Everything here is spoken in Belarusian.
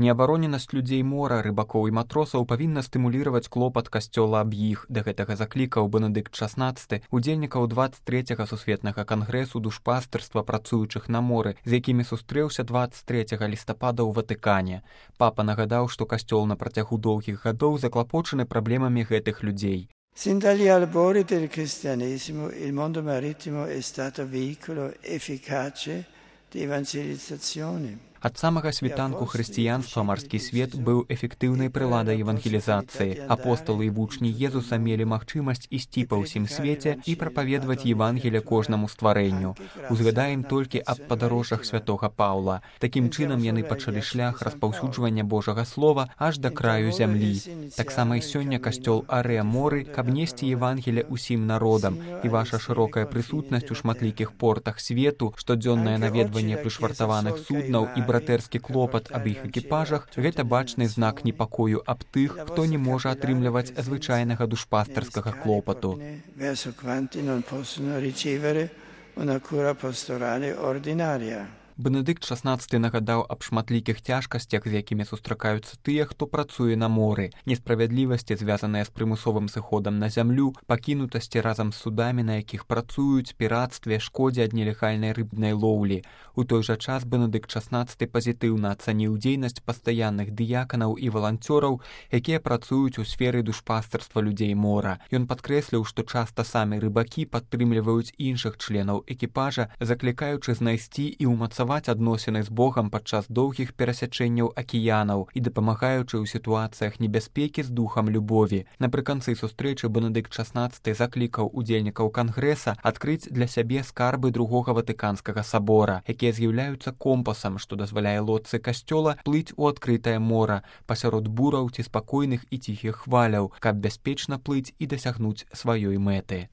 Неабароненасць людзей мора, рыбакоў і матросаў павінна стымулировать клопат касцёла аб іх. Да гэтага заклікаў Бенедыкт XVI удзельнікаў 23-го сусветнага кангрэсу душпастырства працуючых на моры, з якімі сустрэўся 23 лістапада ў Ватыкане. Папа нагадаў, што касцёл на працягу доўгіх гадоў заклапочаны праблемамі гэтых людзей. Sin dagli albori del cristianesimo il mondo marittimo è stato veicolo efficace di evangelizzazione. Ад самага світанку хрысціянства марскі свет быў эфектыўнай прыладай евангелізацыі. Апосталы і вучні Езуса мелі магчымасць ісці па ўсім свеце і прапаведваць Евангелие кожнаму стварэнню. Узгадаем толькі аб падарожжах святога Паўла. Такім чынам яны пачалі шлях распаўсюджвання Божага слова аж да краю зямлі. Таксама і сёння касцёл Аре Моры, каб несці Евангелие усім народам, і ваша шырокая прысутнасць у шматлікіх портах свету, штодзённае наведванне прышвартаваных суднаў і братэрскі клопат аб іх экіпажах – гэта бачны знак непакою аб тых, хто не можа атрымліваць звычайнага душпастарскага клопату. Бенедыкт XVI нагадаў аб шматлікіх цяжкасцях, з якімі сустракаюцца тыя, хто працуе на моры, несправядлівасці, звязаныя з прымусовым сыходам на зямлю, пакінутасці разам з судамі, на якіх працуюць, пірацтве, шкодзе ад нелегальнай рыбнай лоўлі. У той жа час Бенедыкт XVI пазітыўна ацаніў дзейнасць пастаянных дыяканаў і валанцёраў, якія працуюць у сферы душпастарства людзей мора. Ён падкрэсліў, што часта самі рыбакі падтрымліваюць іншых членаў экіпажа, заклікаючы знайсці і ўмацаваць адносіны з Богам падчас доўгіх перасячэнняў акіянаў і дапамагаючы ў сітуацыях небяспекі з духам любові. Напрыканцы сустрэчы Бенедыкт XVI заклікаў удзельнікаў кангрэса адкрыць для сябе скарбы другога Ватыканскага сабора, якія з'яўляюцца компасам, што дазваляе лодцы касцёла плыць у адкрытае мора пасярод бураў ці спакойных і ціхіх хваляў, каб бяспечна плыць і дасягнуць сваёй мэты.